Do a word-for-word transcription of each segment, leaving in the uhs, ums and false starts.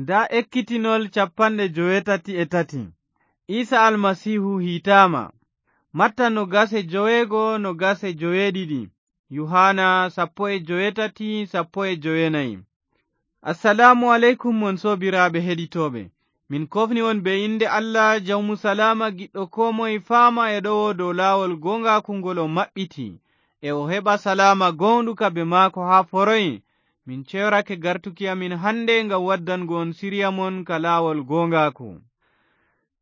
Ndaa ekkitinol cappanɗe joweetati e tati. Iisa Almasiihu hiitaama. Matta no gase joweego, no gase joweeɗiɗi. Yuhaana sappo e joweetati, sappo e jowenayi. Assalaamu aleykum, mon soobiraaɓe heɗitooɓe. Min koofni on bee innde Allah, jawmu salaama, giɗɗo koo moye faama e ɗowo dow laawol gooŋgaaku ngol o maɓɓiti, e o heɓa salaama gooŋɗuka bee maako haa foroy. Min ceyorake gartuki amin hannde ngam waddango on siriya mon ka laawol gooŋgaaku.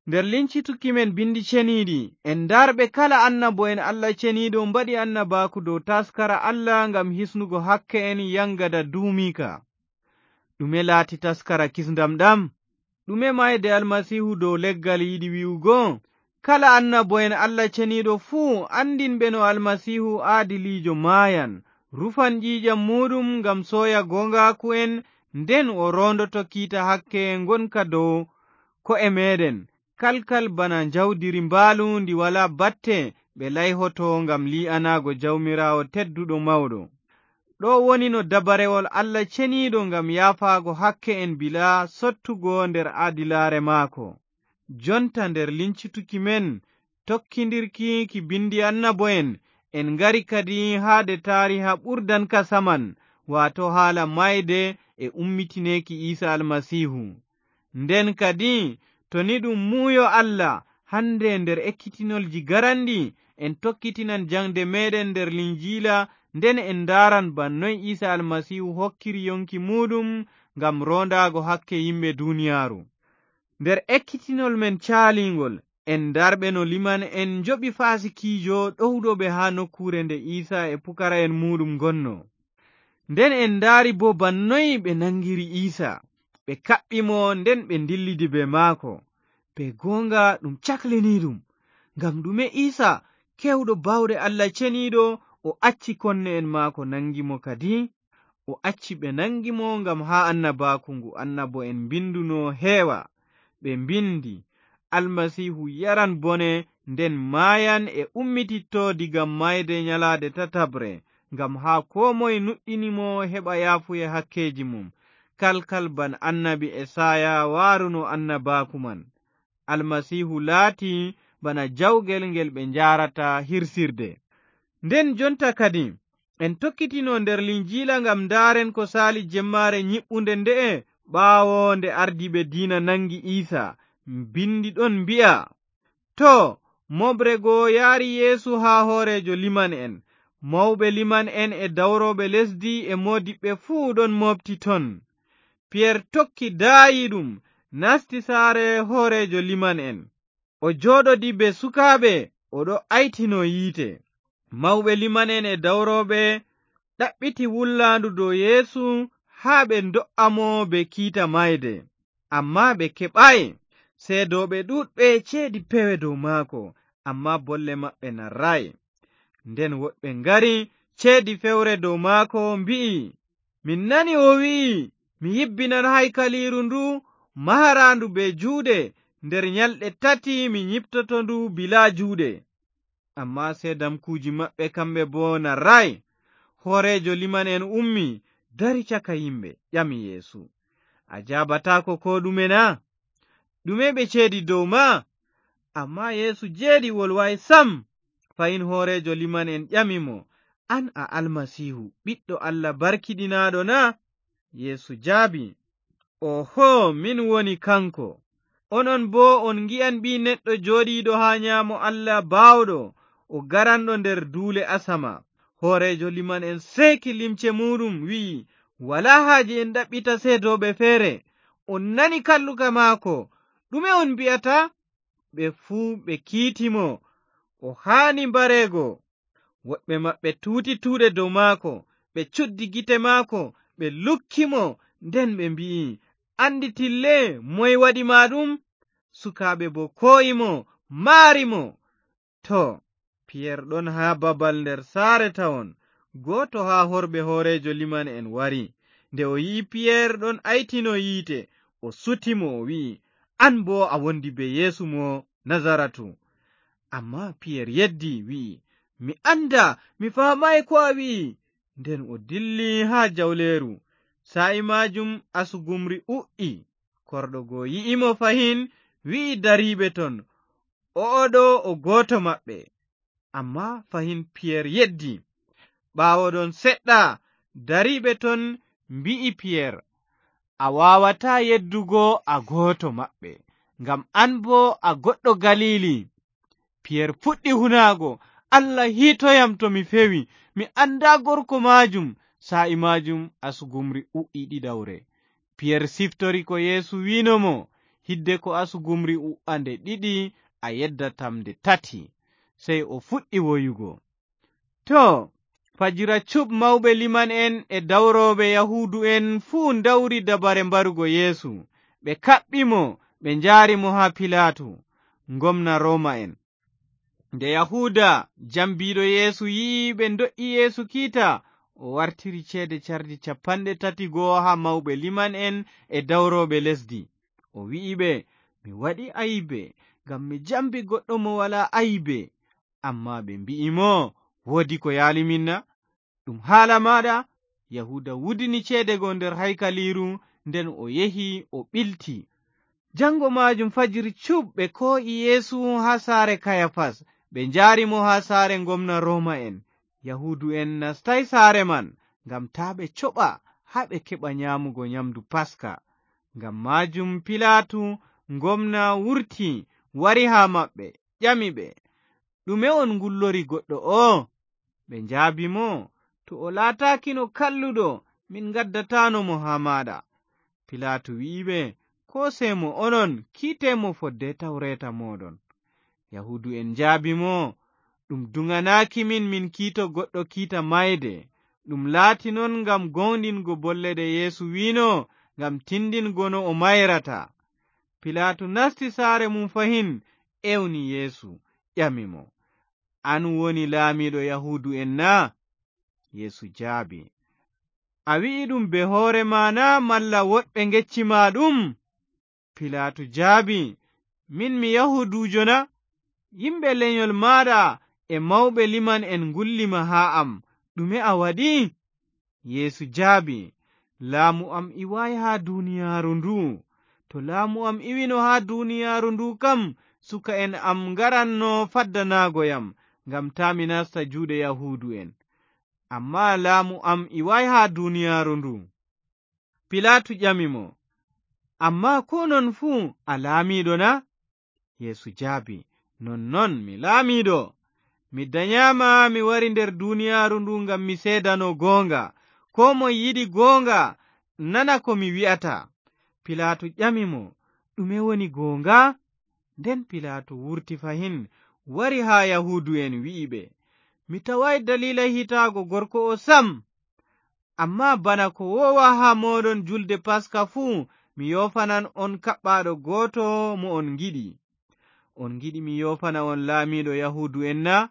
Nder lincituki men binndi ceniiɗi, en ndarɓe kala annabo'en Allah ceniiɗo mbaɗi annabaaku dow taaskara Allah ngam hisnugo hakke'en yaŋgada duumiika. Ɗume laati taaskara kisndam ɗam? Ɗume maayde Almasiihu dow leggal yiɗi wi'ugo? Kala annabo'en Allah ceniiɗo fuu anndinɓe no Almasiihu aadiliijo maayan, rufan ƴiiƴam muuɗum ngam sooya gooŋgaaku'en, nden o roondoto kiita hakke ngonka dow ko'e meeɗen, kalkal bana njawdiri mbaalu ndi walaa batte, ɓe layhoto ngam lii'anaago Jawmiraawo tedduɗo mawɗo. Ɗo woni no dabarewol Allah ceniiɗo ngam yaafaago hakke'en bilaa sottugo nder aadilaare maako. Jonta nder lincituki men, tokkindirki ki binndi annabo'en, en ngari kadi haa de taariha ɓurdanka saman, waato haala maayde e ummitineeki Iisa Almasiihu. Nden kadi, to ni ɗum muuyo Allah, hannde nder ekkitinolji garanɗi, en tokkitinan jaŋde meeɗen nder Linjiila, nden en ndaaran ba noy Iisa Almasiihu hokkiri yoŋki muuɗum ngam roondaago hakke yimɓe duniyaaru. Nder ekkitinol men caaliiŋgol, en ndarɓe no liman'en njoɓi faasikiijo ɗowɗo ɓe haa nokkuure nde Iisa e pukara'en muuɗum ngonno. Nden en ndaari boo ba noy ɓe naŋgiri Iisa, ɓe kaɓɓi mo, nden ɓe ndillidi bee maako. Bee gooŋga ɗum cakliniiɗum. Ngam ɗume Iisa, keewɗo baawɗe Allah ceniiɗo, o acci konne'en maako naŋgi mo kadi? O acci ɓe naŋgi mo ngam haa annabaaku ngu annabo'en mbinduno heewa. Ɓe mbindi, Almasiihu yaran bone, nden maayan e ummititto diga maayde nyalaade tataɓre, ngam haa koo moy nuɗɗini mo heɓa yaafuye hakkeeji mum, kalkal ban annabi Esaaya waaruno annabaaku man. Almasiihu laati bana jawgel ngel ɓe njaarata hirsirde. Nden jonta kadi, en tokkitino nder Linjiila ngam ndaaren ko saali jemmaare nyiɓɓunde nde'e, ɓaawo nde ardiiɓe diina naŋgi Iisa. Mbinndi ɗon mbi'a, too, mooɓre go yaari Yeesu haa hooreejo liman'en. Mawɓe liman'en e dawrooɓe lesdi e moodiɓɓe fuu ɗon mooɓti ton. Piyer tokki daayiiɗum, nasti saare hooreejo liman'en. O jooɗodi bee sukaaɓe, o ɗo aytino yiite. Mawɓe liman'en e dawrooɓe ɗaɓɓiti wullaandu dow Yeesu haa ɓe ndo'a mo bee kiita maayde. Ammaa ɓe keɓaay. Seedooɓe ɗuuɗɓe ceedi pewe dow maako, ammaa bolle maɓɓe narraay. Nden woɗɓe ngari, ceedi fewre dow maako, mbi'i, min nani o wi'i, mi yibbinan haykaliiru ndu, maharaandu bee juuɗe, nder nyalɗe tati mi nyiɓtoto ndu bilaa juuɗe. Ammaa seedamkuuji maɓɓe kamɓe boo narraay. Hooreejo liman'en ummi, dari caka yimɓe, ƴami Yeesu, a jaabataako koo ɗume na? Ɗume ɓe ceedi dow ma? Ammaa Yeesu jeeɗi wolwaay sam. Fahin hooreejo liman'en ƴami mo, an a Almasiihu, ɓiɗɗo Allah barkiɗinaaɗo na? Yeesu jaabi, ooho, min woni kanko. Onon boo on ngi'an Ɓii Neɗɗo jooɗiiɗo haa nyaamo Allah Baawɗo, o garanɗo nder duule asama. Hooreejo liman'en seeki limce muuɗum, wi'i, walaa haaje en ɗaɓɓita seedooɓe feere. On nani kalluka maako. Ɗume on mbi'ata? Ɓe fuu ɓe kiiti mo. O haani mbareego. Woɗɓe maɓɓe tuuti tuuɗe dow maako, ɓe cuddi gite maako, ɓe lukki mo, nden ɓe mbi'i, annditille, moy waɗi ma ɗum? Sukaaɓe boo koo'i mo, maari mo. Too, Piyer ɗon haa babal nder saare tawon, gooto haa horɓe hooreejo liman'en wari. Nde o yi'i Piyer ɗon aytino yiite, o suti mo, o wi'i, an boo a wondi bee Yeesu mo Nazaratu. Ammaa Piyer yeddi, wi'i, mi anndaa, mi faamaay ko a wi'i. Nden o dilli haa jawleeru. Saa'i maajum asugumri u'i. Korɗo goo yi'i mo fahin, wi'i dariiɓe ton, "O'o ɗoo o gooto maɓɓe." Ammaa fahin Piyer yeddi. Ɓaawo ɗon seɗɗa, dariiɓe ton mbi'i Piyer, "A waawataa yeddugo a gooto maɓɓe, ngam an boo a goɗɗo Galiili." Piyer fuɗɗi hunaago, "Allah hiitoyam to mi fewi, mi anndaa gorko maajum." Saa'i maajum asugumri u'i ɗiɗawre. Piyer siftori ko Yeesu wi'no mo, "Hidde ko asugumri u'a nde ɗiɗi, a yeddatam nde tati." Sey o fuɗɗi woyugo. Too, fajira cuɓ mawɓe liman'en e dawrooɓe Yahuudu'en fuu ndawri dabare mbarugo Yeesu. Ɓe kaɓɓi mo, ɓe njaari mo haa Pilaatu, ngomna Rooma'en. Nde Yahuuda, jambiiɗo Yeesu, yi'i ɓe ndo'i Yeesu kiita, o wartiri ceede cardi cappanɗe tati goo haa mawɓe liman'en e dawrooɓe lesdi. O wi'i ɓe, "Mi waɗi aybe, ngam mi jambi goɗɗo mo walaa aybe." Ammaa ɓe mbi'i mo, "Woodi ko yaali min na? Ɗum haala maaɗa." Yahuuda wudini ceede go nder haykaliiru, nden o yehi, o ɓilti. Jaŋgo maajum fajiri cuɓ ɓe koo'i Yeesu haa saare Kayafas, ɓe njaari mo haa saare ngomna Rooma'en. Yahuudu'en nastaay saare man, ngam taa ɓe coɓa haa ɓe keɓa nyaamugo nyamndu Paska. Ngam maajum Pilaatu, ngomna, wurti, wari haa maɓɓe, ƴami ɓe, "Ɗume on ngullori goɗɗo o'o?" Ɓe njaabi mo, "To o laataakino kalluɗo, min ngaddataano mo haa maaɗa." Pilaatu wi'i ɓe, "Koosee mo onon, kiitee mo fodde tawreeta mooɗon." Yahuudu'en njaabi mo, "Ɗum duŋanaaki min, min kiito goɗɗo kiita mayde. Ɗum laati non ngam gooŋɗingo bolle ɗe Yeesu wi'no, ngam tindingo no o mayrata." Pilaatu nasti saare mum fahin, ewni Yeesu, ƴami mo, "An woni laamiiɗo Yahuudu'en na?" Yeesu jaabi, "A wi'i ɗum bee hoore ma na, malla woɗɓe ngecci ma ɗum?" Pilaatu jaabi, "Min mi Yahuuduujo na? Yimɓe lenyol maaɗa e mawɓe liman'en ngulli ma haa am. Ɗume a waɗi?" Yeesu jaabi, "Laamu am iwaay haa duuniyaaru ndu. To laamu am iwino haa duuniyaaru ndu kam, suka'en am ngaranno faddanaago yam, ngam taa mi nasta juuɗe Yahuudu'en. Ammaa laamu am iwaay haa duuniyaaru ndu." Pilaatu ƴami mo, "Ammaa koo non fuu a laamiiɗo na?" Yeesu jaabi, "Nonnon mi laamiiɗo. Mi danyaama mi wari nder duuniyaaru ndu ngam mi seedano gooŋga. Koo moy yiɗi gooŋga nana ko mi wi'ata." Pilaatu ƴami mo, "Ɗume woni gooŋga?" Nden Pilaatu wurti fahin, wari haa Yahuudu'en, wi'i ɓe, "Mi tawaay daliila hitaago gorko o sam. Ammaa bana ko woowa haa mooɗon julde Paska fuu, mi yoofanan on kaɓɓaaɗo gooto mo on ngiɗi. On ngiɗi mi yoofana on laamiiɗo Yahuudu'en na?"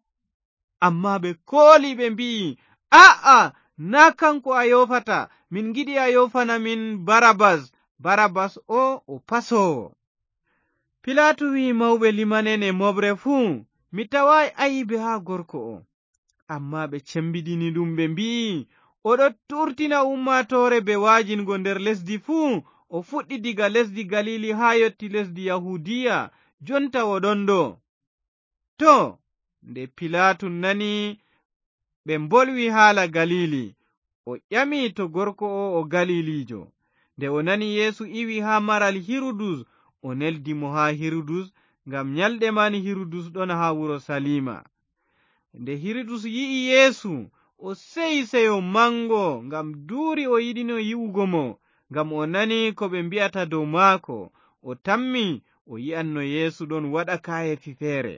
Ammaa ɓe kooli, ɓe mbi'i, "Aa'a, naa kanko a yoofata. Min ngiɗi a yoofana min Barabas. Barabas o, o pasoowo." Pilaatu wi'i mawɓe liman'en e mooɓre fuu, "Mi tawaay ayibe haa gorko o." Ammaa ɓe cembiɗini ɗum, ɓe mbi'i, "O ɗon tuurtina ummaatoore bee waajingo nder lesdi fuu. O fuɗɗi diga lesdi Galiili haa yotti lesdi Yahuudiya, jonta o ɗon ɗo." Too, nde Pilaatu nani ɓe mbolwi haala Galiili, o ƴami to gorko o o Galiiliijo. Nde o nani Yeesu iwi haa maral Hirudus, o neldi mo haa Hirudus, ngam nyalɗe man Hirudus ɗon haa Urusaliima. Nde Hirudus yi'i Yeesu, o seyi seyo maŋgo, ngam duuri o yiɗino yi'ugo mo, ngam o nani ko ɓe mbi'ata dow maako. O tammi o yi'anno Yeesu ɗon waɗa kaayeefi feere.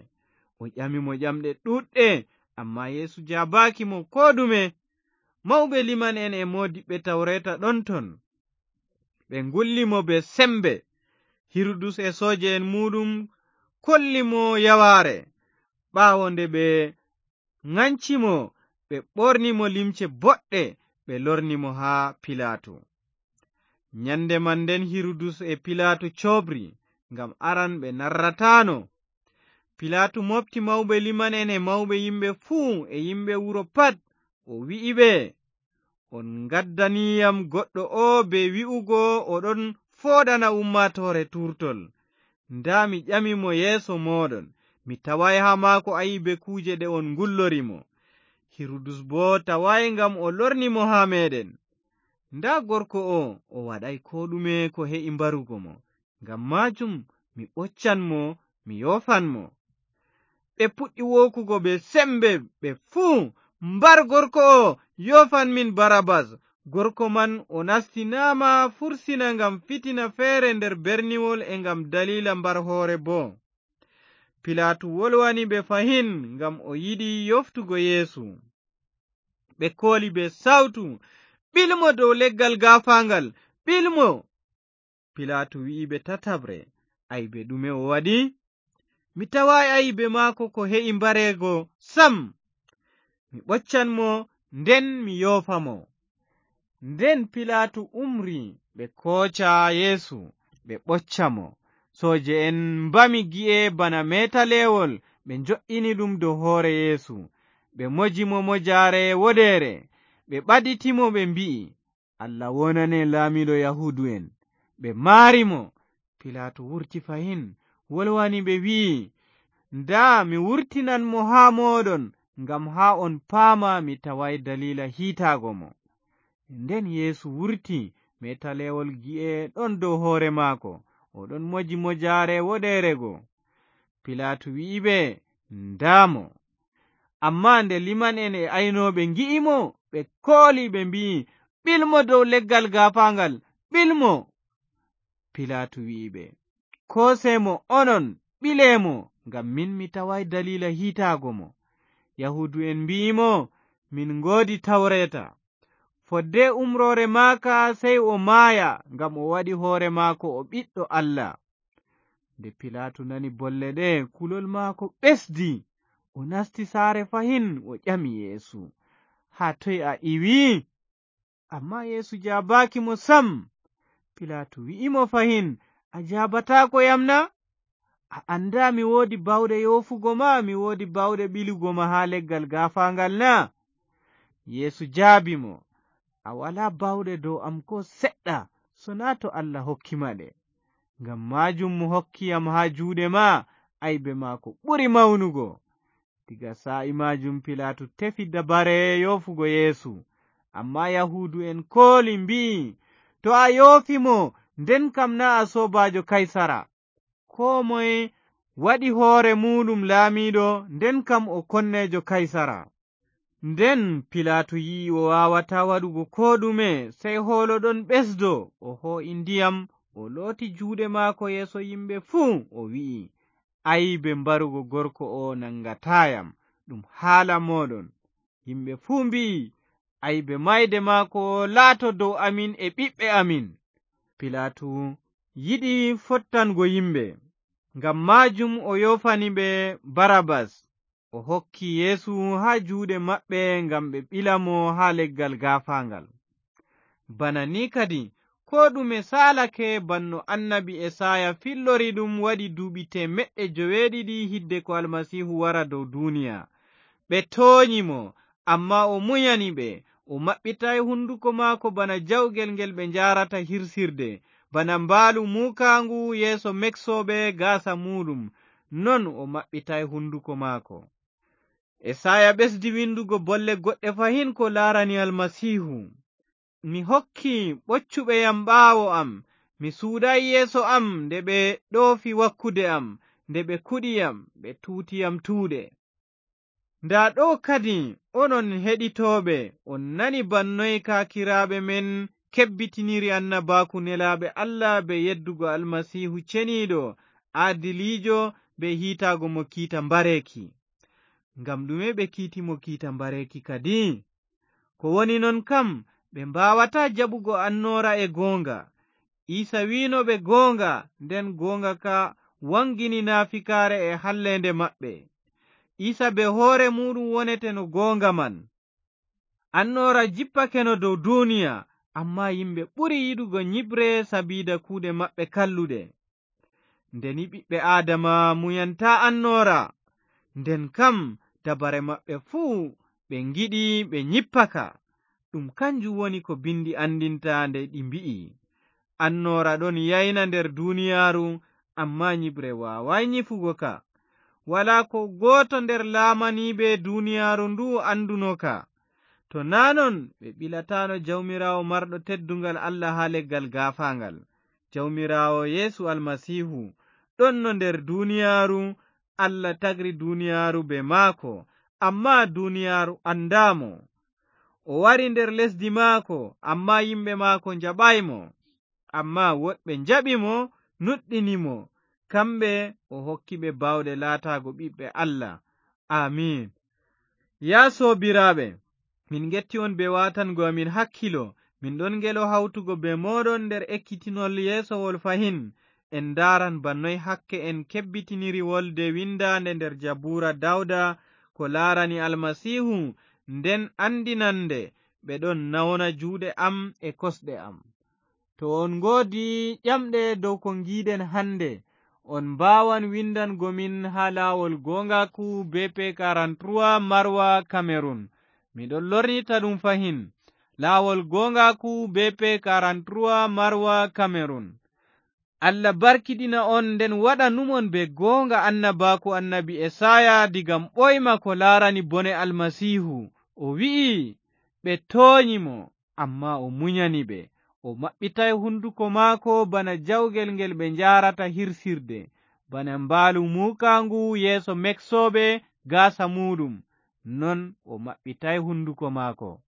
O ƴami mo ƴamɗe ɗuuɗɗe, ammaa Yeesu jaabaaki mo koo ɗume. Mawɓe liman'en e moodiɓɓe tawreeta ɗon ton. Ɓe ngulli mo bee sembe. Hirudus e sooje'en muuɗum kolli mo yawaare. Ɓaawo nde ɓe ŋanci mo, ɓe ɓorni mo limce boɗɗe, ɓe lorni mo haa Pilaatu. Nyande man nden Hirudus e Pilaatu coobri, ngam aran ɓe narrataano. Pilaatu mooɓti mawɓe liman'en e mawɓe yimɓe fuu e yimɓe wuro pat, o wi'i ɓe, "On ngaddani yam goɗɗo oo bee wi'ugo o ɗon fooɗana ummaatoore tuurtol. Ndaa, mi ƴami mo yeeso mooɗon, mi tawaay haa maako ayibe kuuje ɗe on ngullori mo. Hirudus boo tawaay ngam o lorni mo haa meeɗen. Ndaa gorko oo, o waɗaay koo ɗume ko he'i mbarugo mo. Ngam maajum mi ɓoccan mo, mi yoofan mo. Ɓe puɗɗi wookugo bee sembe, ɓe fuu, "Mbar gorko oo, yoofan min Barabas!" Gorko man o nastinaama fursina ngam fitina feere nder berniwol e ngam daliila mbar hoore boo. Pilaatu wolwani ɓe fahin ngam o yiɗi yoftugo Yeesu. Ɓe kooli bee sawtu, "Ɓil mo dow leggal gaafaangal! Ɓil mo!" Pilaatu wi'i ɓe tataɓre, "Aybe ɗume o waɗi? Mi tawaay aybe maako ko he'i mbareego sam. Mi ɓoccan mo, nden mi yoofa mo." Nden Pilaatu umri ɓe kooca Yeesu, ɓe ɓocca mo. Sooje'en mbami gi'e bana meetaleewol, ɓe njo'ini ɗum dow hoore Yeesu. Ɓe moji mo mojaare woɗeere, ɓe ɓaditi mo, ɓe mbi'i, "Allah wonane laamiiɗo Yahuudu'en." Ɓe maari mo. Pilaatu wurti fahin, wolwani ɓe, wi'i, "Ndaa, mi wurtinan mo haa mooɗon, ngam haa on paama mi tawaay daliila hiitaago mo." Nden Yeesu wurti, meetaleewol gi'e ɗon dow hoore maako, o ɗon moji mojaare woɗeere go. Pilaatu wi'i ɓe, "Ndaa mo." Ammaa nde liman'en e aynooɓe ngi'i mo, ɓe kooli, ɓe mbi'i, "Ɓil mo dow leggal gaafaangal! Ɓil mo!" Pilaatu wi'i ɓe, "Koose mo onon, ɓile mo, ngam min mi tawaay daliila hiitaago mo." Yahuudu'en mbi'i mo, "Min ngoodi tawreeta. Fodde umroore maaka, sey o maaya, ngam o waɗi hoore maako o ɓiɗɗo Allah." Nde Pilaatu nani bolle ɗe, kulol maako ɓesdi. O nasti saare fahin, o ƴami Yeesu, "Haa toy a iwi?" Ammaa Yeesu jaabaaki mo sam. Pilaatu wi'i mo fahin, "A jaabataako yam na? A anndaa mi woodi baawɗe yoofugo ma, mi woodi baawɗe ɓilugo ma haa leggal gaafaangal na?" Yeesu jaabi mo, "A walaa baawɗe dow am koo seɗɗa, sonaa to Allah hokki ma ɗe. Ngam maajum mo hokki yam haa juuɗe ma, aybe maako ɓuri mawnugo." Diga saa'i maajum Pilaatu tefi dabare yoofugo Yeesu. Ammaa Yahuudu'en kooli, mbi'i, "To a yoofi mo, nden kam naa a soobaajo Kaysara. Koo moye waɗi hoore muuɗum laamiiɗo, nden kam o konneejo Kaysara." Nden Pilaatu yi'i o waawataa waɗugo koo ɗume, sey hoolo ɗon ɓesdo, o hoo'i ndiyam, o looti juuɗe maako yeeso yimɓe fuu, o wi'i, "Aybe mbarugo gorko oo naŋgataa yam, ɗum haala mooɗon." Yimɓe fuu mbi'i, "Aybe maayde maako laato dow amin e ɓiɓɓe amin." Pilaatu yiɗi fottango yimɓe, ngam maajum o yoofani ɓe Barabas, o hokki Yeesu haa juuɗe maɓɓe ngam ɓe ɓila mo haa leggal gaafaaŋgal. Bana ni kadi, koo ɗume saalake bana no annabi Esaaya fillori ɗum waɗi duuɓi teemeɗɗe joweeɗiɗi hidde ko Almasiihu wara dow duuniya. Ɓe toonyi mo, ammaa o munyani ɓe. O maɓɓitaay hunduko maako bana jawgel ngel ɓe njaarata hirsirde, bana mbaalu muukaaŋgu yeeso meksooɓe gaasa muuɗum, non o maɓɓitaay hunduko maako. Esaaya ɓesdi windugo bolle goɗɗe fahin ko laarani Almasiihu. "Mi hokki ɓoccuɓe yam ɓaawo am, mi suudaay yeeso am nde ɓe ɗoofi wakkude am, nde ɓe kuɗi yam, ɓe tuuti yam tuuɗe." Ndaa ɗo kadi, onon heɗitooɓe, on nani bannoy kaakiraaɓe men kebbitiniri annabaaku nelaaɓe Allah bee yeddugo Almasiihu ceniiɗo, aadiliijo, bee hiitaago mo kiita mbareeki. Ngam ɗume ɓe kiiti mo kiita mbareeki kadi? Ko woni non kam, ɓe mbaawataa jaɓugo annoora e gooŋga. Iisa wi'no ɓe gooŋga, nden gooŋga ka waŋgini naafikaare e halleende maɓɓe. Iisa bee hoore muuɗum woneteno gooŋga man. Annoora jippakeno dow duuniya, ammaa yimɓe ɓuri yiɗugo nyiɓre sabiida kuuɗe maɓɓe kalluɗe. Nde ni ɓiɓɓe Aadama muyantaa annoora, nden kam dabare maɓɓe fuu ɓe ngiɗi ɓe nyippaka. Ɗum kanjum woni ko Binndi anndinta nde ɗi mbi'i, Annoora ɗon yayna nder duniyaaru, ammaa nyiɓre waawaay nyifugo ka. Walaa ko gooto nder laamaniiɓe duniyaaru ndu annduno ka. To naa non, ɓe ɓilataano Jawmiraawo marɗo teddungal Allah haa leggal gaafaaŋgal. Jawmiraawo Yeesu Almasiihu ɗonno nder duniyaaru, Allah tagri duniyaaru bee maako, ammaa duniyaaru anndaa mo. O wari nder lesdi maako, ammaa yimɓe maako njaɓaay mo. Ammaa woɗɓe njaɓi mo, nuɗɗini mo. Kamɓe o hokki ɓe baawɗe laataago ɓiɓɓe Allah. Amiin. Yaa soobiraaɓe, min ngetti on bee waatango amin hakkilo. Min ɗon ngelo hawtugo bee mooɗon nder ekkitinol yeesowol fahin. En ndaaran ba noy hakke en kebbitiniri wolde winndaande nder Jabuura Dawda ko laarani Almasiihu, nden anndinande, "Ɓe ɗon nawna juuɗe am e kosɗe am." To on ngoodi ƴamɗe dow ko ngiiɗen hannde, on mbaawan winndango min haa laawol gooŋgaaku B P quarante-trois Marwa, Cameroun. Miɗon lornita ɗum fahin. Laawol gooŋgaaku B P quarante-trois Marwa, Cameroun. Allah barkiɗina on, nden waɗa numon bee gooŋga annabaaku annabi Esaaya diga ɓooyma ko laarani bone Almasiihu. O wi'i, "Ɓe toonyi mo, ammaa o munyani ɓe. O maɓɓitaay hunduko maako bana jawgel ngel ɓe njaarata hirsirde, bana mbaalu muukaaŋgu yeeso meksooɓe gaasa muuɗum, non o maɓɓitaay hunduko maako."